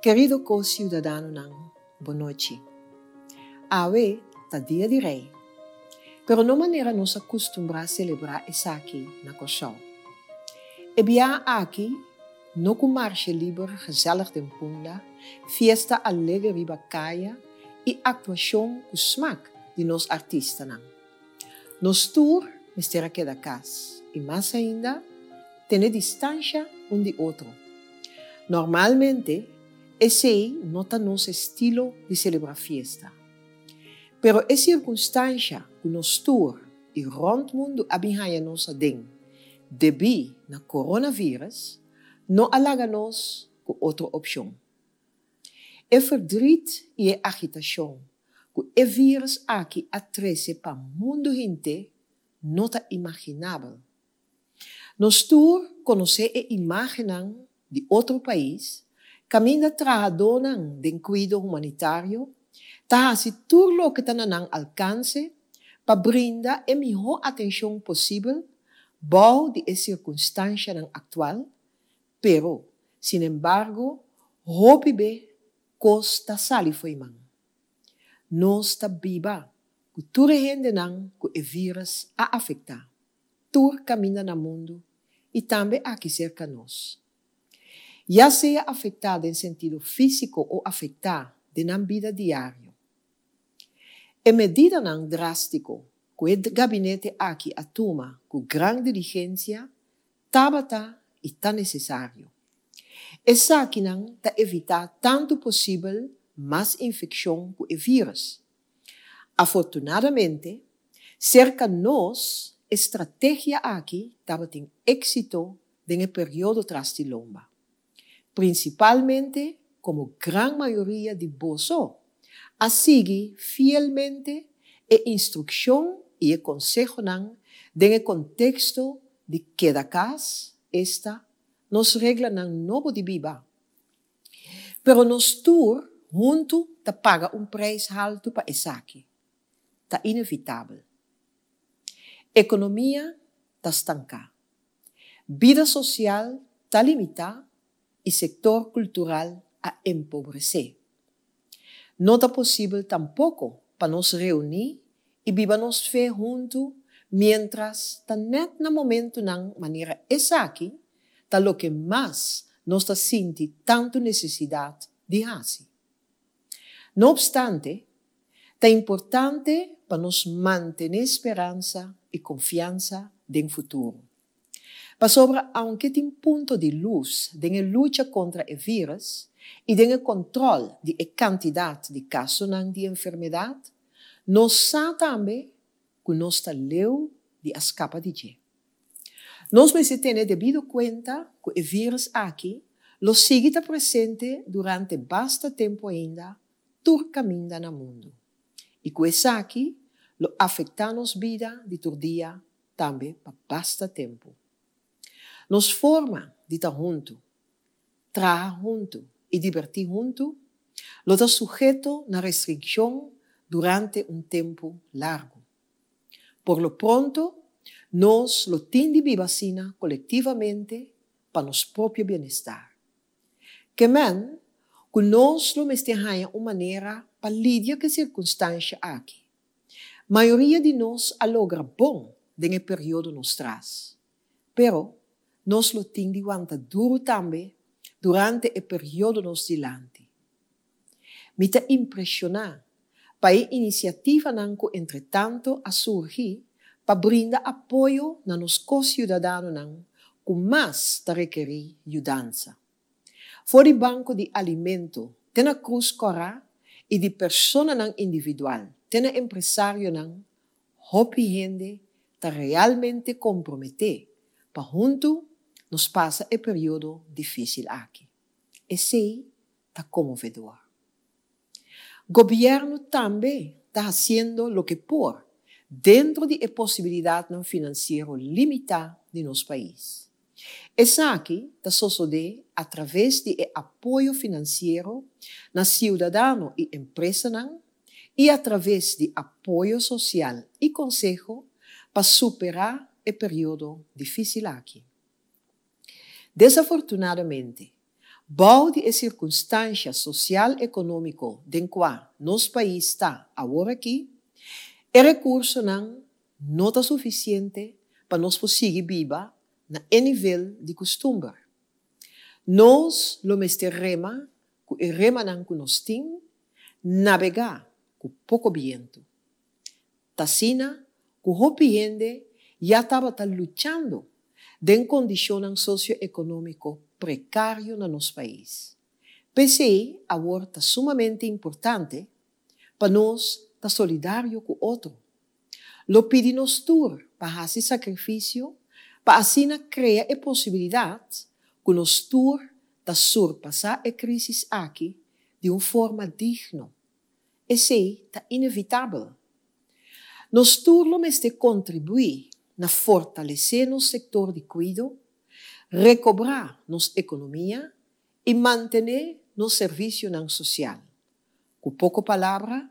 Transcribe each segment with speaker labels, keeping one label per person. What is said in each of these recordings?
Speaker 1: Kerido ko-siudadanonan, bonochi. Awe ta Dia di Rei, pero no manera nos a kustumbrá selebrá esaki na Kòrsou. E biaha aki no ku marshe liber gezellig den Punda, fiesta alegre riba kaya i aktuashon ku smak di nos artistanan. Nos tur mester a keda kas i mas ainda tene distansha un di otro. Normalmente esei no ta nos estilo di selebrá fiesta. Pero e sirkunstansha ku nos tur i rònt mundu a bin haña nos aden debí na coronavirus no a laga nos ku otro opshon. E verdriet i e agitashon ku e vírus aki a trese pa mundu henter no ta imaginabel. Nos tur konosé e imágennan di otro pais kaminda trahadónan den kuido humanitario ta hasi tur loke ta na nan alkanse pa brinda e mihó atenshon posibel bou di e sirkunstanshanan aktual, pero sinembargo hopi be kos ta sali fo'i man. Nos ta biba ku tur e hendenan ku e vírus a afektá, tur kaminda na mundu i tambe aki serka nos. Ya sea afektá den sentido físiko o afektá den nan bida diario. E medidanan drástiko ku e gabinete aki a tuma ku gran diligensia tabata i ta nesesario. Esakinan ta evitá tantu posibel mas infekshon ku e vírus. Afortunadamente, serka nos e strategia aki tabatin éksito den e periodo tras di lomba. Prinsipalmente komo gran mayoria di boso a sigui fielmente e instrukshon i e konsehonan den e konteksto di keda kas, esta, nos reglanan nobo di biba. Pero nos tur huntu ta paga un preis haltu pa esaki. Ta inevitabel. Ekonomia ta stanká. Bida sosial ta limitá i sektor kultural a empobresé. No ta posibel tampoko pa nos reuní i biba nos fe huntu miéntras ta nèt na momentunan manera esaki ta loke mas nos ta sinti tantu nesesidat di hasi. No opstante, ta importante pa nos mantené speransa i konfiansa den futuro. Pasobra aunke tin punto di lus den e lucha kontra e vírus i den e kontròl di e kantidat di kasonan di enfermedat, nos sa tambe ku nos ta leu di a skapa di dje. Nos mester tene debido kuenta ku e vírus aki lo sigui ta presente durante basta tempu ainda tur kaminda na mundu i ku esaki lo afektá nos bida di tur dia tambe pa basta tempu. Nos forma di ta huntu, traha huntu i dibertí huntu lo ta suheto na restrikshon durante un tempu largu. Por lo pronto nos lo tin di biba asina kolektivamente pa nos propio bienestar. Ke men ku nos lo mester haña un manera pa lidia ku e sirkunstansha aki. Mayoria di nos a logra bon den e periodo nos tras. Pero nos lo tin di wanta duru tambe durante e periodo nos dilanti. Mi ta impreshoná pa e inisiativanan ku entretanto a surgi pa brinda apoyo na nos ko-siudadanonan ku mas ta rekerí yudansa. For di banko di alimento te na Krus Kòrá i di personanan individual te na empresarionan, hopi hende ta realmente komprometé pa huntu nos pasa e periodo difísil aki. Esei ta konmovedor. Gobièrnu tambe ta hasiendo loke por dentro di e posibilidatnan finansiero limitá di nos pais. Esaki ta sosodé atraves di e apoyo finansiero na siudadano i empresanan i atraves di apoyo sosial i konseho pa superá e periodo difísil aki. Desafortunadamente, Bou di e sirkunstansha sosial-ekonómiko den kua nos pais ta awor akí, e rekursonan no ta sufisiente pa nos por sigui biba na e nivel di kustumber. Nos lo mester rema ku e remanan ku nos tin, nabegá ku poko bientu. T'asina ku hopi hende ya tabata luchando den kondishonnan sosioekonómiko prekario na nos pais. P'esei awor ta sumamente importante pa nos ta solidario ku otro. Lo pidi nos tur pa hasi sakrifisio pa asina krea e posibilidat ku nos tur ta surpasá e krísis aki di un forma digno. Esei ta inevitabel. Nos tur lo mester kontribuí na fortalesé nos sektor di kuido, rekobrá nos ekonomia i mantené nos servisionan sosial. Ku poko palabra,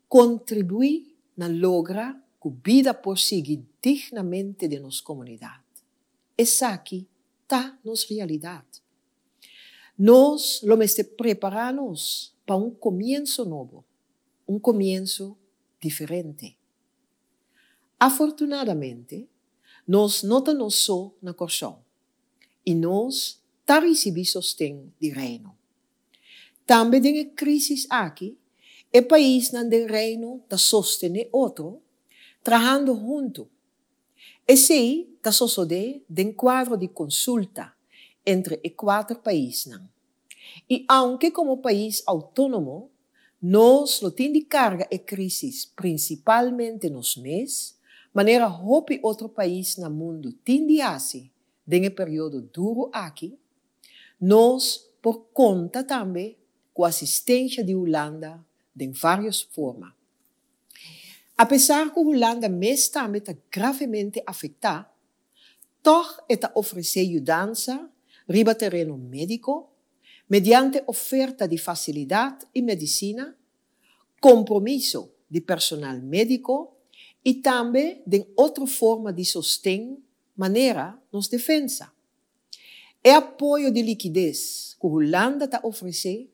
Speaker 1: kontribuí na logra ku bida por sigui dignamente den nos komunidat. Esaki ta nos realidat. Nos lo mester prepará nos pa un komienso nobo, un komienso diferente. Afortunadamente, nos no ta nos so na Kòrsou i nos ta risibí sosten di Reino. Tambe den e krísis aki, e paisnan den Reino ta sostené otro, trahando huntu. Esei ta sosodé den kuadro di konsulta entre e kuater paisnan. I aunke komo pais outónomo nos lo tin di karga e krísis prinsipalmente nos mes, manera hopi otro pais na mundu tin di hasi den e periodo duru aki, nos por konta tambe ku asistensha di Hulanda den vários forma. Apesar ku Hulanda mes tambe ta gravemente afektá, tòg e ta ofresé yudansa riba tereno médiko mediante oferta di fasilidat i medisina, kompromiso di personal médiko i tambe den otro forma di sosten manera nos defensa. E apoyo di likides ku Hulanda ta ofresé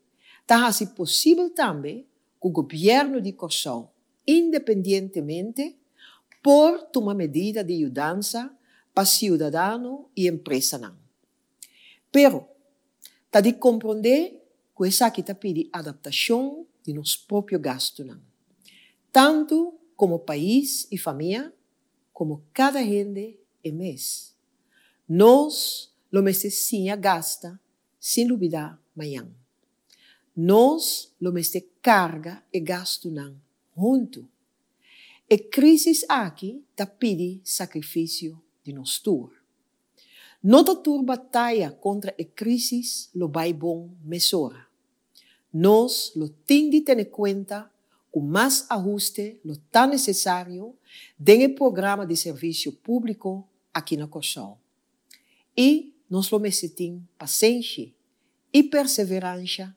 Speaker 1: ta hasi posibel tambe ku gobièrnu di Kòrsou independientemente por tuma medida di yudansa pa siudadano i empresanan. Pero, ta di komprondé ku esaki ta pidi adaptashon di nos propio gastunan, tantu komo pais i famia komo kada hende e mes. Nos lo mester siña gasta sin lubidá mañan. Nos lo mester karga e gastunan huntu. E krísis aki ta pidi sakrifisio di nos tur. No ta tur bataya kontra e krísis lo bai bon mesora. Nos lo tin di tene kuenta ku mas ahuste lo ta nesesario den e programa di servisio públiko aki na Kòrsou. I nos lo mester tin pasenshi i perseveransha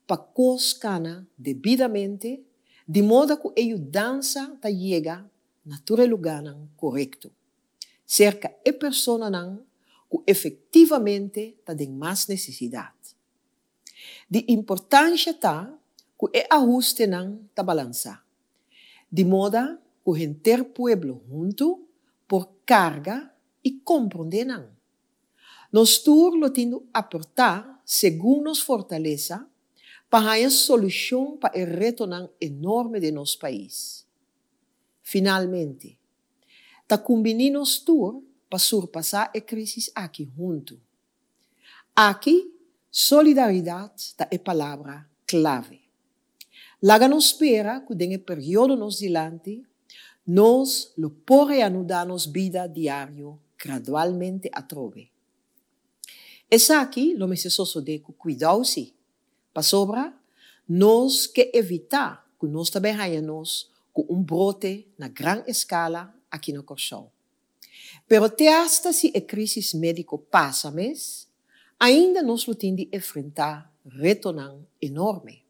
Speaker 1: pa kos kana debidamente di moda ku e yudansa ta yega na tur e lugánan korekto, serka e personanan ku efektivamente ta den mas nesesidat. Di importansha ta ku e ahustenan ta balansá, di moda ku henter pueblo huntu por karga i komprondé nan. Nos tur lo tin di aportá segun nos fortalesa pa haña solushon pa e retonan enorme den nos pais. Finalmente, ta kumbiní nos tur pa surpasá e krísis aki huntu. Aki solidaridat ta e palabra klave. Laga nos spera ku den e periodo nos dilanti, nos lo por reanudá nos bida diario gradualmente atrobe. Esaki lo mester sosodé ku kuidou sí, pasobra nos ke evitá ku nos ta bai haña nos ku un brote na gran eskala aki na Kòrsou. Pero te asta si e krísis médiko pasa mes, ainda nos lo tin di enfrentá retonan enorme.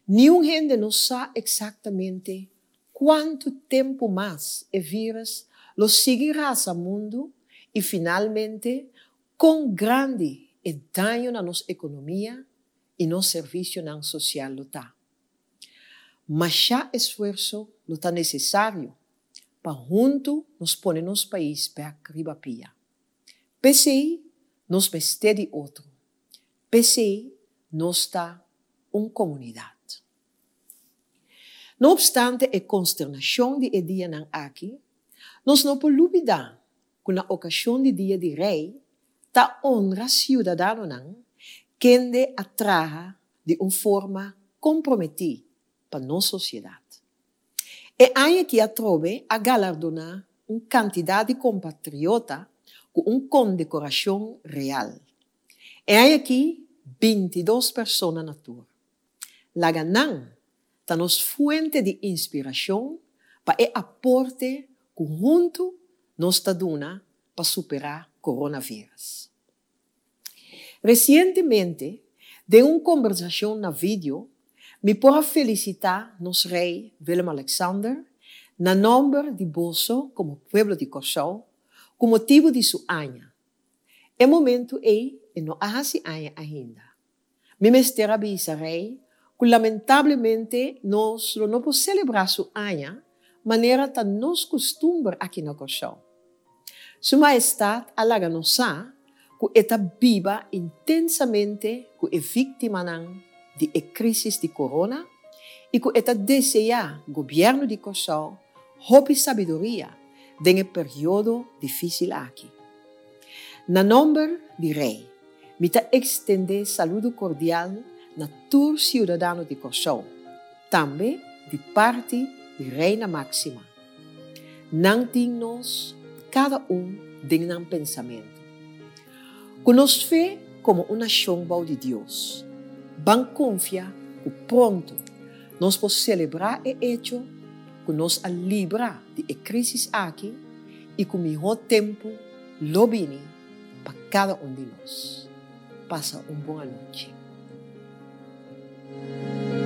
Speaker 1: Niun hende no sa eksaktamente kuantu tempu mas e vírus lo sigui rasa mundu i finalmente kon grandi e daño na nos ekonomia i nos servisionan sosial lo ta. Mashá esfuerso lo ta nesesario pa huntu nos pone nos pais bèk riba pia. P'esei nos mester di otro. P'esei nos ta un komunidat. No opstante e konsternashon di e dianan aki, nos no por lubidá ku na okashon di Dia di Rei ta honra siudadanonan kende a traha di un forma komprometí pa nos sosiedat. E aña aki atrobe a galardoná un kantidat di kompatriota ku un kondekorashon real. E aña aki 22 persona na tur. Laga nan ta nos fuente di inspirashon pa e aporte ku huntu nos ta duna pa superá coronavirus. Resientemente, den un kombersashon na video, mi por a felisitá nos Rei Willem-Alexander na nòmber di boso komo pueblo di Kòrsou ku motibu di su aña. E momentu ei e no a hasi aña ainda. Mi mester a bisa Rei ku lamentablemente nos lo no por selebrá su aña manera ta nos kustumber aki na Kòrsou. Su Mahestat a laga nos sa ku e ta biba intensamente ku e víktimanan di e krísis di korona i ku e ta deseá gobièrnu di Kòrsou hopi sabiduria den e periodo difísil aki. Na nòmber di Rei, mi ta ekstendé saludo kordial na tur siudadano di Kòrsou, tambe di parti di Reina Máxima. Nan tin nos kada un den nan pensamentu. Ku nos fe komo un nashon bou di Dios, ban konfia ku pronto nos por selebrá e echo ku nos a libra di e krísis aki i ku mihó tempu lo bini pa kada un di nos. Pasa un bon anochi.